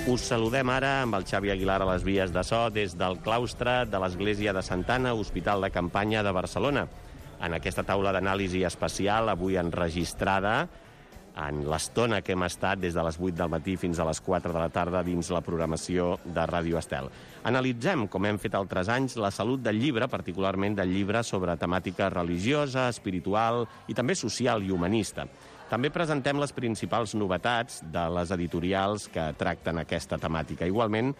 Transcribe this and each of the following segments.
Us saludem ara amb el Xavi Aguilar a les vies de so des del claustre de l'Església de Santa Anna, Hospital de Campanya de Barcelona. En aquesta taula d'anàlisi especial, avui enregistrada, en l'estona que hem estat des de les 8 del matí fins a les 4 de la tarda dins la programació de Ràdio Estel. Analitzem, com hem fet altres anys, la salut del llibre, particularment del llibre sobre temàtica religiosa, espiritual i també social i humanista. També presentem les principals novetats de les editorials que tracten aquesta temàtica. Igualment,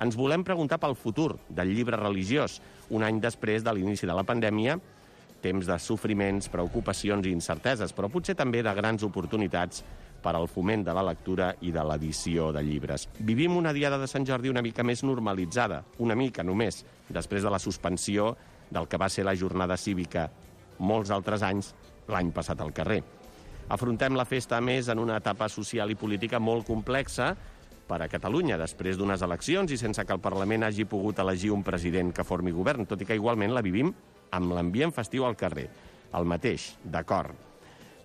ens volem preguntar pel futur del llibre religiós, un any després de l'inici de la pandèmia, temps de sofriments, preocupacions i incerteses, però potser també de grans oportunitats per al foment de la lectura i de l'edició de llibres. Vivim una diada de Sant Jordi una mica més normalitzada, una mica només, després de la suspensió del que va ser la jornada cívica molts altres anys l'any passat al carrer. Afrontem la festa, a més, en una etapa social i política molt complexa per a Catalunya, després d'unes eleccions i sense que el Parlament hagi pogut elegir un president que formi govern, tot i que igualment la vivim amb l'ambient festiu al carrer. El mateix, d'acord.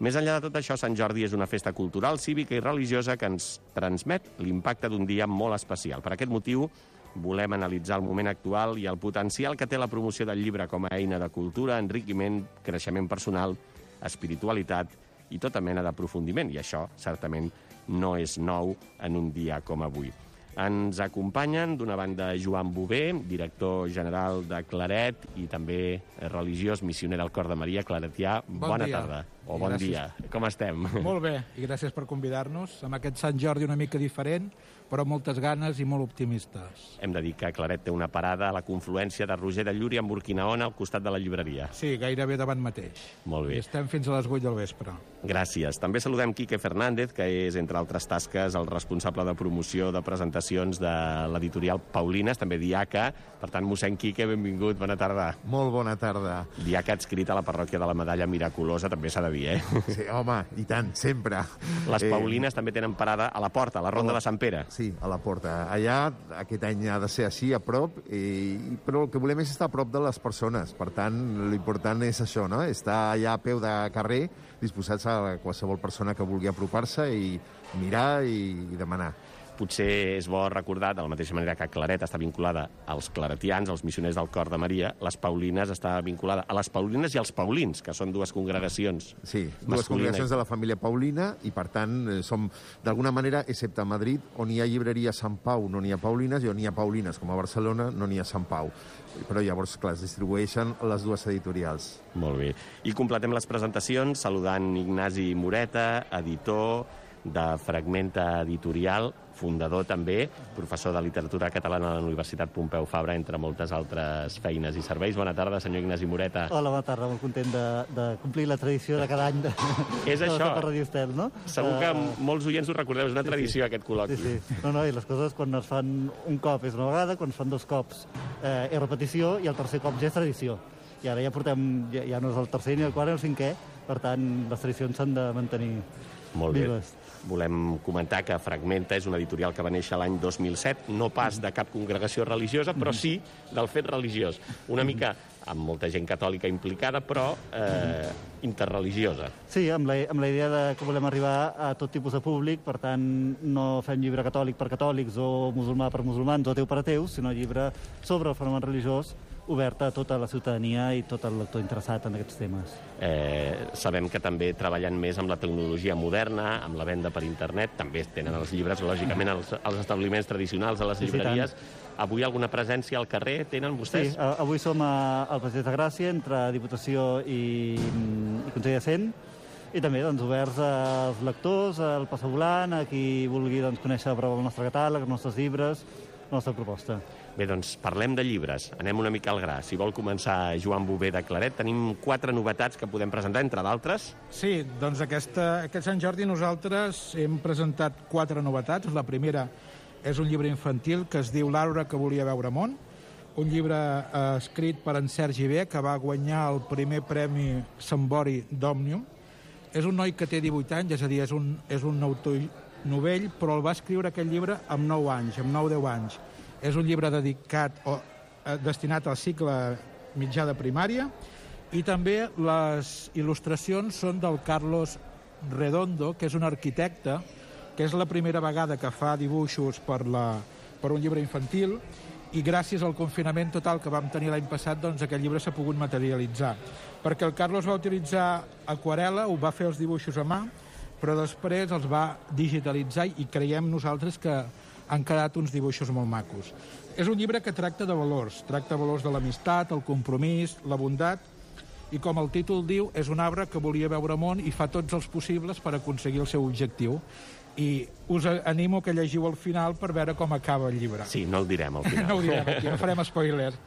Més enllà de tot això, Sant Jordi és una festa cultural, cívica i religiosa que ens transmet l'impacte d'un dia molt especial. Per aquest motiu, volem analitzar el moment actual i el potencial que té la promoció del llibre com a eina de cultura, enriquiment, creixement personal, espiritualitat i tota mena d'aprofundiment. I això, certament, no és nou en un dia com avui. Ens acompanyen, d'una banda, Joan Bové, director general de Claret i també religiós missioner al Cor de Maria, claretià. Bona tarda, o bon dia. Com estem? Molt bé, i gràcies per convidar-nos amb aquest Sant Jordi una mica diferent, però amb moltes ganes i molt optimistes. Hem de dir que Claret té una parada a la confluència de Roger de Llúria amb Urquinaona al costat de la llibreria. Sí, gairebé davant mateix. Molt bé. I estem fins a les 8 del vespre. Gràcies. També saludem Quique Fernández, que és, entre altres tasques, el responsable de promoció de presentacions de l'editorial Paulines, també diaca. Per tant, mossèn Quique, benvingut, bona tarda. Molt bona tarda. Diaca adscrit a la parròquia de la Medalla Miraculosa, també s'ha de dir, eh? Sí, home, i tant, sempre. Les Paulines també tenen parada a la porta, a la Ronda de Sant Pere. Sí, a la porta. Allà, aquest any ha de ser així, a prop, però el que volem és estar a prop de les persones. Per tant, l'important és això, no? Estar allà a peu de carrer, disposats a qualsevol persona que vulgui apropar-se i mirar i demanar. Potser és bo recordar, de la mateixa manera que Claret està vinculada als claretians, als missioners del Cor de Maria, les Paulines està vinculada a les Paulines i als Paulins, que són dues congregacions. Sí, dues congregacions de la família Paulina, i per tant som, d'alguna manera, excepte a Madrid, on hi ha llibreria Sant Pau, no n'hi ha Paulines, i on hi ha Paulines, com a Barcelona, no n'hi ha Sant Pau. Però llavors, clar, es distribueixen les dues editorials. Molt bé. I completem les presentacions saludant Ignasi Moreta, editor de Fragmenta Editorial, fundador també, professor de literatura catalana a la Universitat Pompeu Fabra, entre moltes altres feines i serveis. Bona tarda, senyor Ignasi Moreta. Hola, bona tarda, molt content de complir la tradició de cada any de Ràdio Estel, no? Segur que molts oients ho recordeu, és una tradició, aquest col·loqui. Sí. No, i les coses quan es fan un cop és una vegada, quan es fan dos cops és repetició, i el tercer cop ja és tradició. I ara ja portem, ja no és el tercer ni el quart ni el cinquè, per tant, les tradicions s'han de mantenir vives. Volem comentar que Fragmenta és una editorial que va néixer l'any 2007, no pas de cap congregació religiosa, però sí del fet religiós. Una mica amb molta gent catòlica implicada, però interreligiosa. Sí, amb la idea que volem arribar a tot tipus de públic, per tant, no fem llibre catòlic per catòlics o musulmà per musulmans o ateu per ateus, sinó llibre sobre el fenomen religiós oberta a tota la ciutadania i tot el lector interessat en aquests temes. Sabem que també treballen més amb la tecnologia moderna, amb la venda per internet, també tenen els llibres, lògicament, als establiments tradicionals, a les llibreries. Avui alguna presència al carrer tenen vostès? Sí, avui som al Passeig de Gràcia, entre Diputació i Consell de Cent, i també oberts als lectors, al passavolant, a qui vulgui conèixer el nostre catàleg, els nostres llibres, la nostra proposta. Bé, doncs parlem de llibres. Anem una mica al gra. Si vol començar Joan Bové de Claret, tenim 4 novetats que podem presentar, entre d'altres. Sí, doncs aquest Sant Jordi nosaltres hem presentat 4 novetats. La primera és un llibre infantil que es diu Laura que volia veure món, un llibre escrit per en Sergi B, que va guanyar el primer premi Sambori d'Òmnium. És un noi que té 18 anys, és a dir, és un autor novell, però el va escriure aquest llibre amb 9 anys, amb 9-10 anys. És un llibre destinat al cicle mitjà de primària, i també les il·lustracions són del Carlos Redondo, que és un arquitecte que és la primera vegada que fa dibuixos per un llibre infantil, i gràcies al confinament total que vam tenir l'any passat, doncs aquest llibre s'ha pogut materialitzar. Perquè el Carlos va utilitzar aquarel·la, ho va fer els dibuixos a mà, però després els va digitalitzar i creiem nosaltres que han quedat uns dibuixos molt macos. És un llibre que tracta de valors de l'amistat, el compromís, la bondat, i com el títol diu, és un arbre que volia veure món i fa tots els possibles per aconseguir el seu objectiu. I us animo que llegiu al final per veure com acaba el llibre. Sí, no el direm al final. No ho direm aquí, no farem spoilers.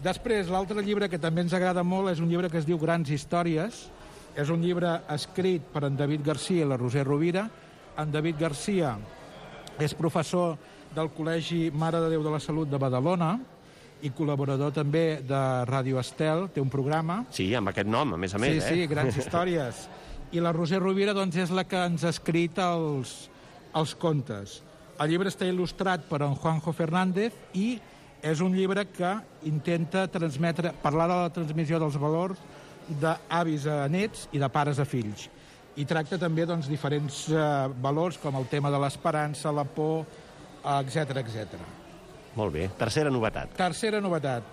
Després, l'altre llibre que també ens agrada molt és un llibre que es diu Grans Històries. És un llibre escrit per en David Garcia i la Roser Rovira. En David Garcia és professor del Col·legi Mare de Déu de la Salut de Badalona i col·laborador també de Ràdio Estel, té un programa. Sí, amb aquest nom, a més, Sí, Grans Històries. I la Roser Rovira doncs, és la que ens ha escrit els contes. El llibre està il·lustrat per en Juanjo Fernández i és un llibre que intenta parlar de la transmissió dels valors d'avis a nets i de pares a fills. I tracta també doncs, diferents valors com el tema de l'esperança, la por, etc etc. Molt bé. Tercera novetat. Tercera novetat.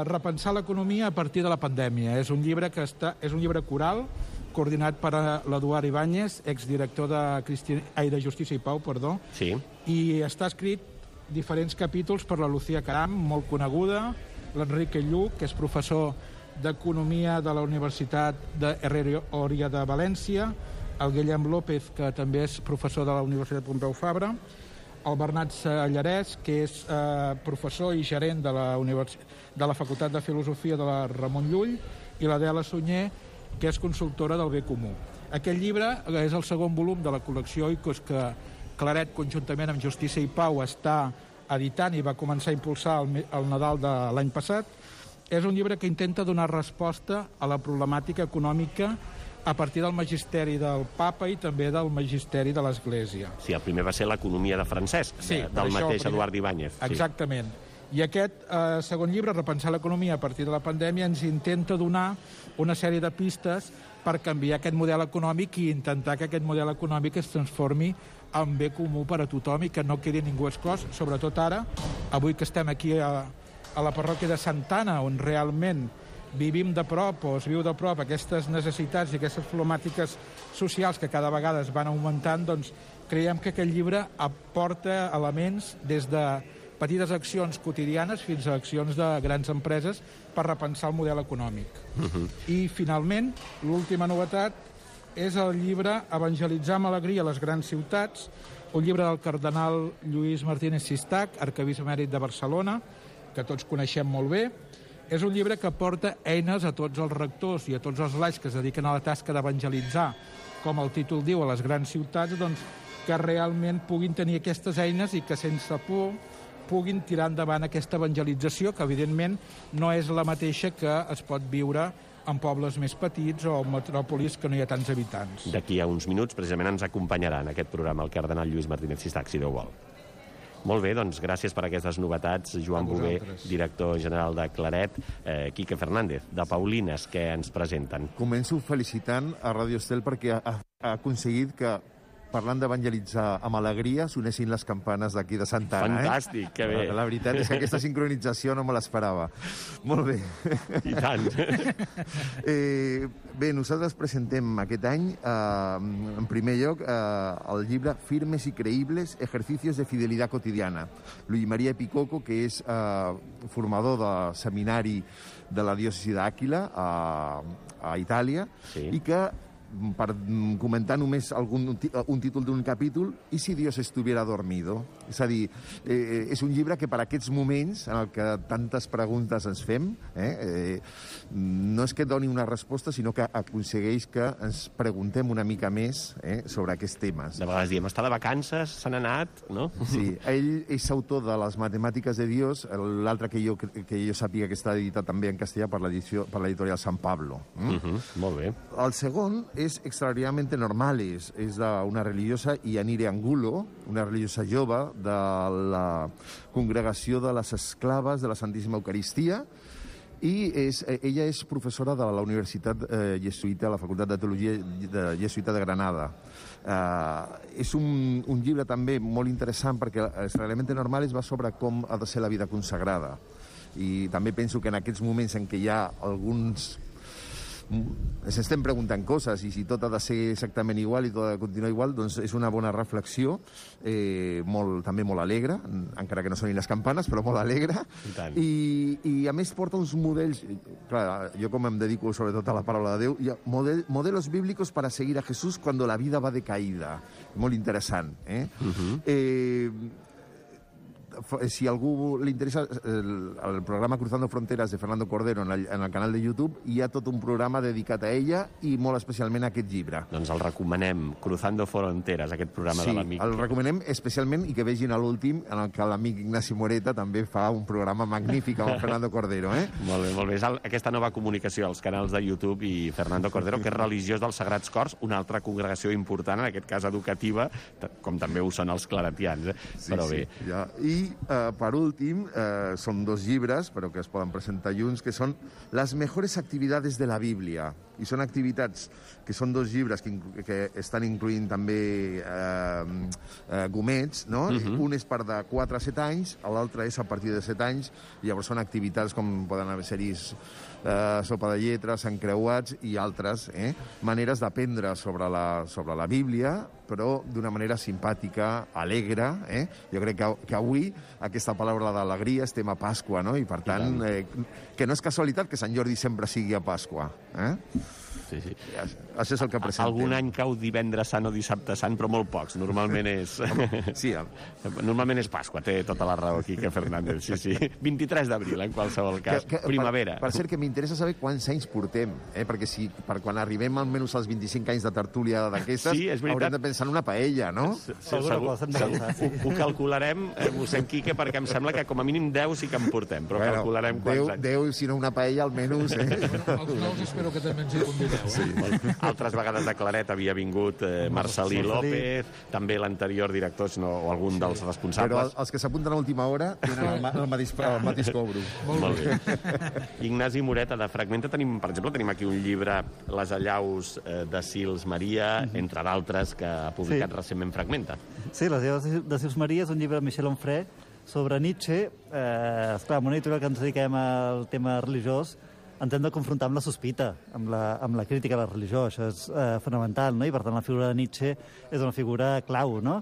Repensar l'economia a partir de la pandèmia. És un llibre coral coordinat per l'Eduard Ibáñez, exdirector de Justícia i Pau, Sí. I està escrit diferents capítols per la Lucía Caram, molt coneguda, l'Enrique Lluc, que és professor d'Economia de la Universitat Herrera Oria de València, el Guillem López, que també és professor de la Universitat Pompeu Fabra, el Bernat Sallarès, que és professor i gerent de la Facultat de Filosofia de la Ramon Llull, i l'Adela Sunyer, que és consultora del bé comú. Aquest llibre és el segon volum de la col·lecció Oikos que Claret, conjuntament amb Justícia i Pau, està editant i va començar a impulsar el Nadal de l'any passat. És un llibre que intenta donar resposta a la problemàtica econòmica a partir del magisteri del papa i també del magisteri de l'Església. Sí, el primer va ser l'economia de Francesc, del mateix Eduard Ibáñez. Exactament. I aquest segon llibre, Repensar l'economia a partir de la pandèmia, ens intenta donar una sèrie de pistes per canviar aquest model econòmic i intentar que aquest model econòmic es transformi en bé comú per a tothom i que no quedi ningú exclòs, sobretot ara, avui que estem aquí a la parròquia de Santa Anna, on realment vivim de prop o es viu de prop aquestes necessitats i aquestes problemàtiques socials que cada vegada es van augmentant, doncs creiem que aquest llibre aporta elements des de petites accions quotidianes fins a accions de grans empreses per repensar el model econòmic. I, finalment, l'última novetat és el llibre Evangelitzar amb alegria a les grans ciutats, un llibre del cardenal Lluís Martínez Sistac, arquebisbe emèrit de Barcelona, que tots coneixem molt bé. És un llibre que aporta eines a tots els rectors i a tots els laics que es dediquen a la tasca d'evangelitzar, com el títol diu, a les grans ciutats, doncs, que realment puguin tenir aquestes eines i que sense por puguin tirar endavant aquesta evangelització, que evidentment no és la mateixa que es pot viure en pobles més petits o en metròpolis que no hi ha tants habitants. D'aquí a uns minuts, precisament, ens acompanyarà en aquest programa el cardenal Lluís Martínez Sistac, si Déu vol. Molt bé, doncs gràcies per aquestes novetats, Joan Bové, director general de Claret, Quique Fernández, de Paulines, que ens presenten. Començo felicitant a Ràdio Estel perquè ha aconseguit que, parlant d'evangelitzar amb alegria, sonessin les campanes d'aquí de Santa Anna. Fantàstic, que bé. La veritat és que aquesta sincronització no me l'esperava. Molt bé. I tant. Bé, nosaltres presentem aquest any, en primer lloc, el llibre Firmes y creíbles, ejercicios de fidelidad cotidiana. Luis María Picoco, que és formador de seminari de la diòcesi d'Àquila, a Itàlia, i que, per comentar només un títol d'un capítol, i si Dios estuviera dormido? És a dir, és un llibre que per aquests moments en el que tantes preguntes ens fem, no és que doni una resposta, sinó que aconsegueix que ens preguntem una mica més sobre aquests temes. De vegades diem, està de vacances, se n'ha anat, no? Sí, ell és autor de Les matemàtiques de Dios, l'altre que jo sàpiga que està editat també en castellà per l'editorial San Pablo. Molt bé. El segon és Extraordinariamente Normales, és d'una religiosa, Yanire Angulo, una religiosa jove de la congregació de les esclaves de la Santíssima Eucaristia, I ella és professora de la Universitat Jesuïta, a la Facultat de Teologia Jesuïta de Granada. És un llibre també molt interessant perquè els Reglamenti Normales va sobre com ha de ser la vida consagrada. I també penso que en aquests moments en què hi ha alguns... ens estem preguntant coses i si tot ha de ser exactament igual i tot ha de continuar igual, doncs és una bona reflexió, també molt alegre, encara que no sonin les campanes, però molt alegre. I a més porta uns models... Clar, jo com em dedico sobretot a la paraula de Déu, hi ha modelos bíblicos para seguir a Jesús cuando la vida va de caída. Molt interessant, si a algú li interessa el programa Cruzando Fronteras de Fernando Cordero en el canal de YouTube, hi ha tot un programa dedicat a ella i molt especialment a aquest llibre. Doncs el recomanem, Cruzando Fronteras, aquest programa de l'amic. Sí, el recomanem especialment i que vegin a l'últim en el que l'amic Ignasi Moreta també fa un programa magnífic amb el Fernando Cordero. Molt bé, molt bé. És aquesta nova comunicació als canals de YouTube i Fernando Cordero, que és religiós dels Sagrats Cors, una altra congregació important, en aquest cas educativa, com també ho són els claretians. Però bé. Ja. I per últim, són 2 llibres, però que es poden presentar junts, que són Les mejores actividades de la Bíblia. I són activitats que són 2 llibres que estan incloent també gomets, no? Un és per de 4 a 7 anys, l'altre és a partir de 7 anys, i llavors són activitats com poden haver-hi sopa de lletres, encreuats i altres maneres d'aprendre sobre la Bíblia, però d'una manera simpàtica, alegre. Jo crec que avui aquesta paraula d'alegria estem a Pasqua, no? I per tant, que no és casualitat que Sant Jordi sempre sigui a Pasqua. Sí. Això és el que presentem. Algun any cau divendres sant o dissabte sant, però molt pocs. Normalment és... Sí. Normalment és Pasqua, té tota la raó, Quique Fernández. Sí. 23 d'abril, en qualsevol cas. Primavera. Per cert, que m'interessa saber quants anys portem, perquè si per quan arribem almenys als 25 anys de tertúlia d'aquestes, haurem de pensar en una paella, no? Ho calcularem, mossèn Quique, perquè em sembla que com a mínim 10 sí que en portem, però calcularem quants anys. 10, si no una paella, almenys. Els nous espero que també ens hi convideu. Sí. Altres vegades de Claret havia vingut Marcelí López, també l'anterior director o algun dels responsables. Però els que s'apunten a última hora tenen el mateix cobro. Molt bé. Ignasi Moreta, de Fragmenta, per exemple, tenim aquí un llibre, Les allaus de Sils Maria, entre d'altres, que ha publicat recentment Fragmenta. Sí, Les allaus de Sils Maria és un llibre de Michel Onfray sobre Nietzsche. Esclar, amb una editorial que ens dediquem al tema religiós, ens hem de confrontar amb la sospita, amb la crítica a la religió. Això és fonamental, no? I per tant la figura de Nietzsche és una figura clau, no?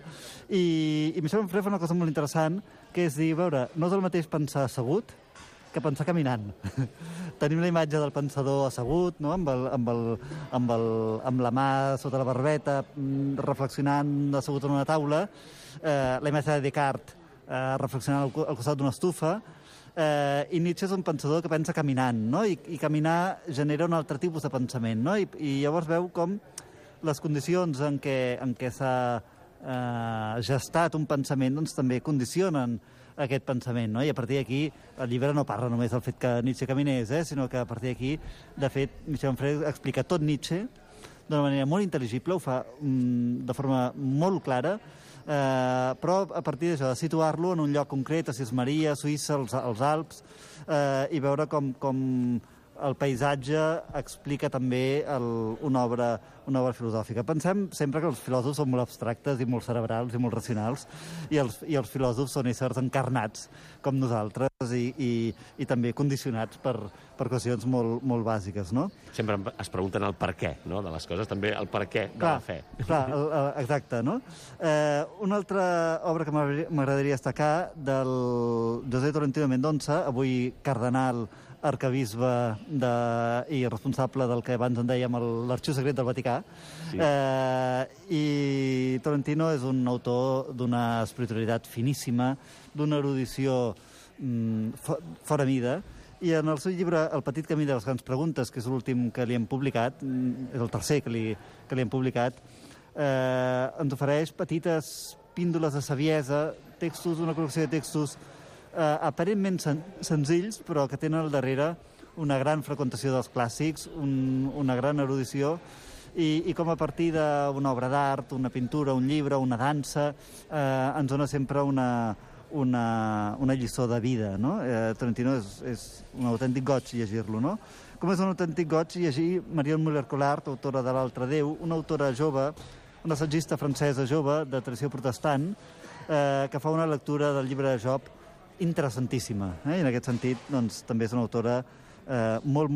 I Michel Onfray fa una cosa molt interessant, que és dir, veure, no és el mateix pensar assegut que pensar caminant. Tenim la imatge del pensador assegut, no? amb la mà sota la barbeta, reflexionant assegut en una taula, la imatge de Descartes reflexionant al costat d'una estufa, i Nietzsche és un pensador que pensa caminant, no? I caminar genera un altre tipus de pensament, no? I llavors veu com les condicions en què s'ha gestat un pensament doncs, també condicionen aquest pensament, no? I a partir d'aquí el llibre no parla només del fet que Nietzsche caminés, sinó que a partir d'aquí, de fet, Michel Onfray explica tot Nietzsche d'una manera molt intel·ligible, ho fa de forma molt clara, però a partir d'això, de situar-lo en un lloc concret, a Sils Maria, a Suïssa, als Alps, i veure com el paisatge explica també una obra filosòfica. Pensem sempre que els filòsofs són molt abstractes i molt cerebrals i molt racionals, i els filòsofs són éssers encarnats com nosaltres i també condicionats per qüestions molt bàsiques, no? Sempre es pregunten el per què, no?, de les coses, també el per què de la fe. Clar, exacte, no? Una altra obra que m'agradaria destacar del José Tolentino Mendonça, avui cardenal, arcabisbe i responsable del que abans en dèiem l'Arxiu Secret del Vaticà. Sí. I Tolentino és un autor d'una espiritualitat finíssima, d'una erudició fora mida, i en el seu llibre El petit camí de les grans preguntes, que és l'últim que li hem publicat, és el tercer que li hem publicat, ens ofereix petites píndoles de saviesa, textos, una col·lecció de textos aparentment senzills, però que tenen al darrere una gran freqüentació dels clàssics, una gran erudició, i com a partir d'una obra d'art, una pintura, un llibre, una dansa, ens dona sempre una una lliçó de vida, no? Tarantino és un autèntic goig llegir-lo, no? Com és un autèntic goig llegir Marion Muller-Collard, autora de L'altre Déu, una autora jove, una assagista francesa jove de tradició protestant, que fa una lectura del llibre de Job interessantíssima. I en aquest sentit, doncs, també és una autora molt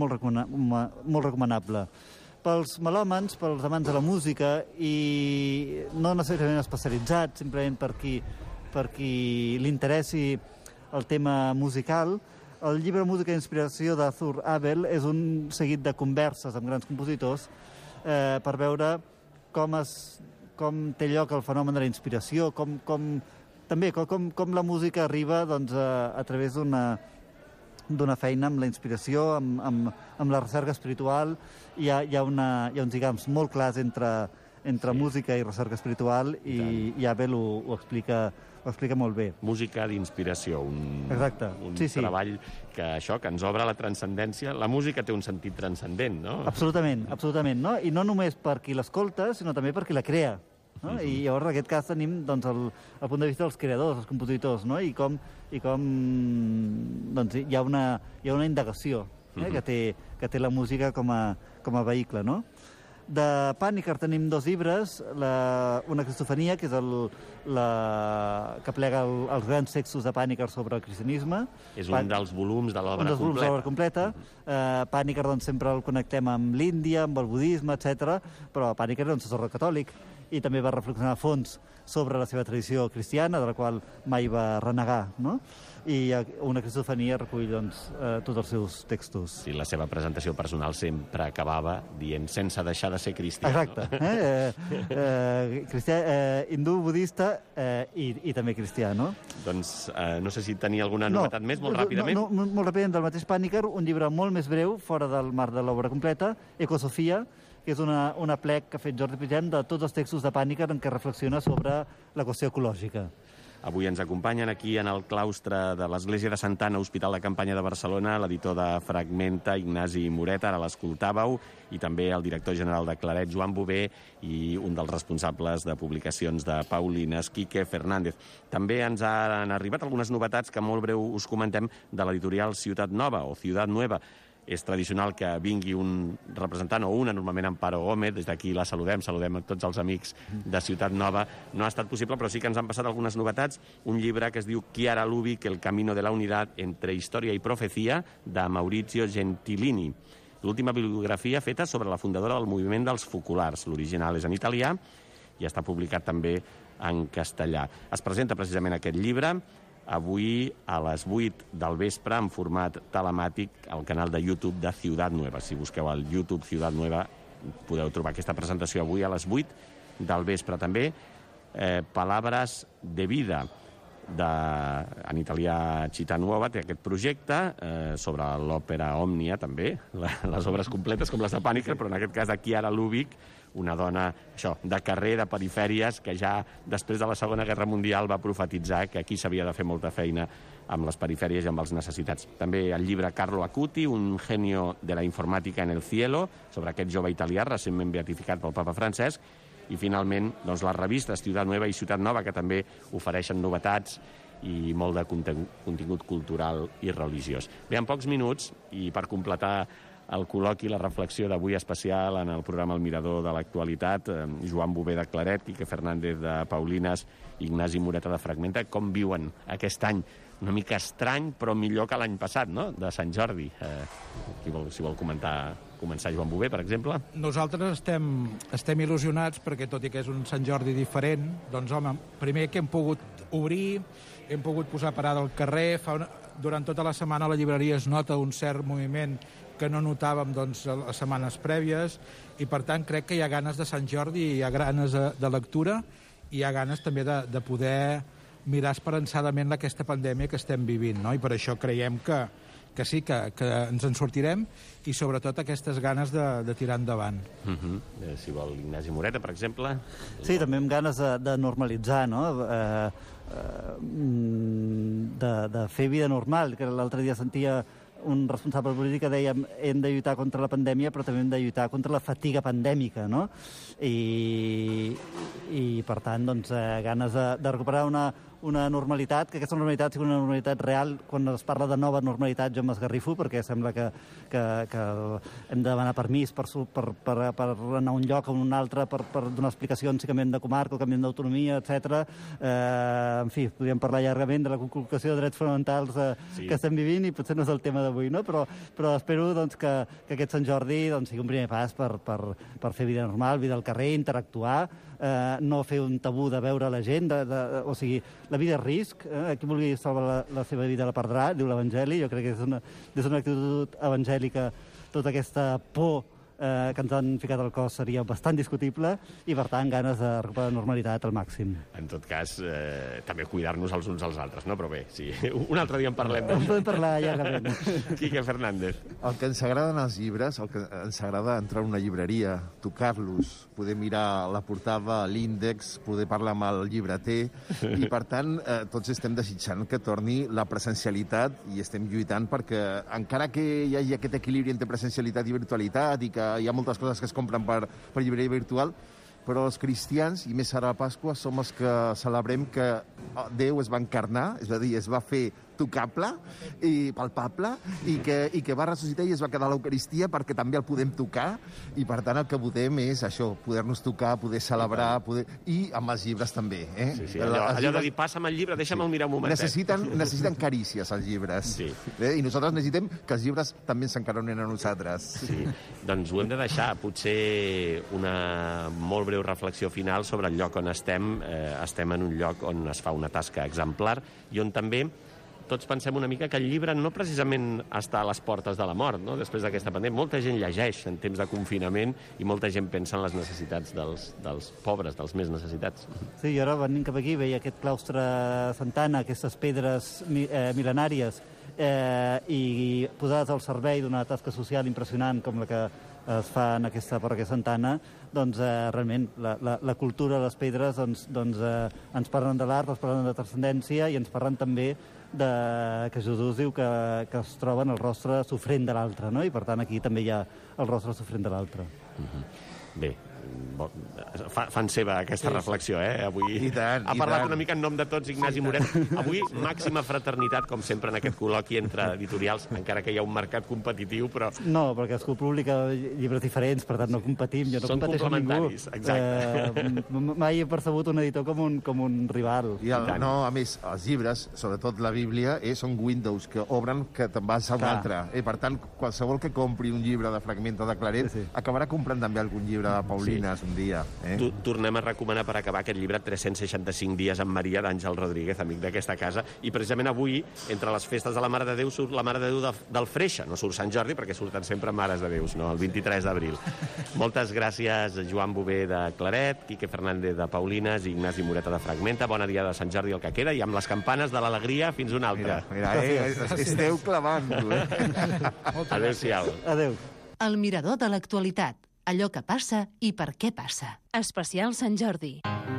recomanable. Pels melòmans, pels amants de la música, i no necessàriament especialitzats, simplement per qui li interessi el tema musical, el llibre Música d'Inspiració d'Arthur Abel és un seguit de converses amb grans compositors per veure com té lloc el fenomen de la inspiració, com la música arriba doncs, a través d'una feina amb la inspiració, amb la recerca espiritual. Hi ha uns lligams molt clars entre música i recerca espiritual i Abel ho explica molt bé. Música d'inspiració, un treball que ens obre la transcendència. La música té un sentit transcendent, no? Absolutament, no? I no només per qui l'escolta, sinó també per qui la crea. No? I llavors en aquest cas tenim doncs, el punt de vista dels creadors, els compositors, no? I com doncs, hi ha una indagació que té la música com a vehicle, no? De Panikkar tenim 2 llibres, una cristofania, que és que plega els grans textos de Panikkar sobre el cristianisme. És un dels volums de l'obra completa. Un dels volums de l'obra completa. Panikkar doncs, sempre el connectem amb l'Índia, amb el budisme, etc. Però Panikkar era un sacerdot catòlic i també va reflexionar a fons sobre la seva tradició cristiana, de la qual mai va renegar, no? I una cristofania recull doncs, tots els seus textos. Sí, la seva presentació personal sempre acabava dient sense deixar de ser cristià. Exacte. Cristià, hindú, budista i també cristià, no? Doncs no sé si tenia alguna novetat més, molt ràpidament. No, molt ràpidament, del mateix Panikkar, un llibre molt més breu, fora del marc de l'obra completa, Ecosofia, que és una plec que ha fet Jordi Pigem de tots els textos de Panikkar en què reflexiona sobre la qüestió ecològica. Avui ens acompanyen aquí en el claustre de l'Església de Santa Anna, Hospital de Campanya de Barcelona, l'editor de Fragmenta, Ignasi Moreta, ara l'escoltàveu, i també el director general de Claret, Joan Bové, i un dels responsables de publicacions de Paulines, Quique Fernández. També ens han arribat algunes novetats que molt breu us comentem de l'editorial Ciutat Nova, o Ciutat Nueva. És tradicional que vingui un representant o una, normalment Amparo Gómez, des d'aquí la saludem a tots els amics de Ciutat Nova. No ha estat possible, però sí que ens han passat algunes novetats. Un llibre que es diu Chiara Lubic, El camino de la unidad entre història i profecía, de Maurizio Gentilini. L'última bibliografia feta sobre la fundadora del moviment dels focolars. L'original és en italià i està publicat també en castellà. Es presenta precisament aquest llibre avui a les 8 del vespre en format telemàtic al canal de YouTube de Ciutat Nueva. Si busqueu al YouTube Ciutat Nueva podeu trobar aquesta presentació avui a les 8 del vespre. També Palabras de vida, en italià Città Nuova, té aquest projecte sobre l'òpera Òmnia, també, les obres completes com les de Panikkar, però en aquest cas de Chiara Lubic, una dona de carrer, de perifèries, que ja després de la Segona Guerra Mundial va profetitzar que aquí s'havia de fer molta feina amb les perifèries i amb els necessitats. També el llibre Carlo Acuti, un genio de la informàtica en el cielo, sobre aquest jove italià recentment beatificat pel papa Francesc. I finalment, doncs, les revistes Ciutat Nueva i Ciutat Nova, que també ofereixen novetats i molt de contingut cultural i religiós. Bé, en pocs minuts, i per completar el col·loqui, la reflexió d'avui especial en el programa El Mirador de l'Actualitat, Joan Bové de Claret, Quique Fernández de Paulines, Ignasi Moreta de Fragmenta, com viuen aquest any una mica estrany, però millor que l'any passat, no?, de Sant Jordi. Si vol començar Joan Bové, per exemple. Nosaltres estem il·lusionats perquè, tot i que és un Sant Jordi diferent, doncs, home, primer que hem pogut obrir, hem pogut posar parada al carrer, durant tota la setmana a la llibreria es nota un cert moviment que no notàvem doncs, les setmanes prèvies, i per tant crec que hi ha ganes de Sant Jordi, hi ha ganes de lectura, i hi ha ganes també de poder mirar esperançadament aquesta pandèmia que estem vivint, no? I per això creiem que sí, que ens en sortirem, i sobretot aquestes ganes de tirar endavant. Si vol, Ignasi Moreta, per exemple. Sí, també amb ganes de normalitzar, no?, de fer vida normal, que l'altre dia sentia un responsable polític que deia hem de lluitar contra la pandèmia, però també hem de lluitar contra la fatiga pandèmica, no? I per tant, doncs, ganes de recuperar una normalitat, que aquesta normalitat sigui una normalitat real. Quan es parla de nova normalitat jo m'esgarrifo, perquè sembla que hem de demanar permís per anar a un lloc o a un altre, per donar explicacions si canviem de comarca o canviem d'autonomia, etc. En fi, podríem parlar llargament de la conculcació de drets fonamentals que estem vivint, i potser no és el tema d'avui, no? Però espero doncs, que aquest Sant Jordi doncs, sigui un primer pas per fer vida normal, vida al carrer, interactuar, no fer un tabú de veure la gent, o sigui, la vida és risc, qui vulgui salvar la seva vida la perdrà, diu l'Evangeli. Jo crec que des d'una actitud evangèlica tota aquesta por que ens han ficat al cos seria bastant discutible, i per tant ganes de recuperar la normalitat al màxim. En tot cas, també cuidar-nos els uns als altres, no? Però bé, sí, un altre dia en parlem. En podem parlar llargament. Quique Fernández. El que ens agraden els llibres, el que ens agrada entrar a una llibreria, tocar-los, poder mirar la portada, l'índex, poder parlar amb el llibreter, i per tant tots estem desitjant que torni la presencialitat, i estem lluitant perquè, encara que hi hagi aquest equilibri entre presencialitat i virtualitat, i que hi ha moltes coses que es compren per llibreria virtual, però els cristians, i més ara a Pasqua, som els que celebrem que Déu es va encarnar, és a dir, es va fer tocable i palpable, i que va ressuscitar i es va quedar a l'Eucaristia perquè també el podem tocar, i per tant el que votem és això, poder-nos tocar, poder celebrar, i amb els llibres també. Sí, allò de dir, passa'm el llibre, deixa'm-el mirar un momentet. Necessiten carícies, els llibres. Sí. I nosaltres necessitem que els llibres també s'encaronin a nosaltres. Sí, doncs ho hem de deixar. Potser una molt breu reflexió final sobre el lloc on estem. Estem en un lloc on es fa una tasca exemplar i on també tots pensem una mica que el llibre no precisament està a les portes de la mort, no? Després d'aquesta pandèmia. Molta gent llegeix en temps de confinament i molta gent pensa en les necessitats dels pobres, dels més necessitats. Sí, jo ara venint cap aquí veia aquest claustre Santana, aquestes pedres mil·lenàries, i posades al servei d'una tasca social impressionant com la que es fa en aquesta parròquia Santana, doncs realment la cultura, les pedres, doncs ens parlen de l'art, ens parlen de transcendència, i ens parlen també que Jesús diu que es troba en el rostre sofrent de l'altre, no? I per tant aquí també hi ha el rostre sofrent de l'altre. Bé, fan seva aquesta reflexió, avui. I tant, ha parlat una mica en nom de tots Ignasi Moret. Avui màxima fraternitat, com sempre, en aquest col·loqui entre editorials, encara que hi ha un mercat competitiu, però... No, perquè cadascú publica llibres diferents, per tant no competim, jo no competeixo amb ningú. Exacte. Mai he percebut un editor com un rival. No, a més, els llibres, sobretot la Bíblia, són Windows que obren que te'n vas a un altre. Per tant, qualsevol que compri un llibre de Fragment o de Claret acabarà comprant també algun llibre de Paulines un dia. Tornem a recomanar per acabar aquest llibre 365 dies amb Maria, d'Àngel Rodríguez, amic d'aquesta casa, i precisament avui, entre les festes de la Mare de Déu, surt la Mare de Déu del Freixa. No surt Sant Jordi, perquè surten sempre Mares de Déus, no? El 23 d'abril. Moltes gràcies, Joan Bové de Claret, Quique Fernández de Paulines i Ignasi Moreta de Fragmenta. Bona dia de Sant Jordi el que queda, i amb les campanes de l'alegria fins una altra. Mira, esteu clavant-ho. Adéu-siau. Adéu. El mirador de l'actualitat. Allò que passa i per què passa. Especial Sant Jordi.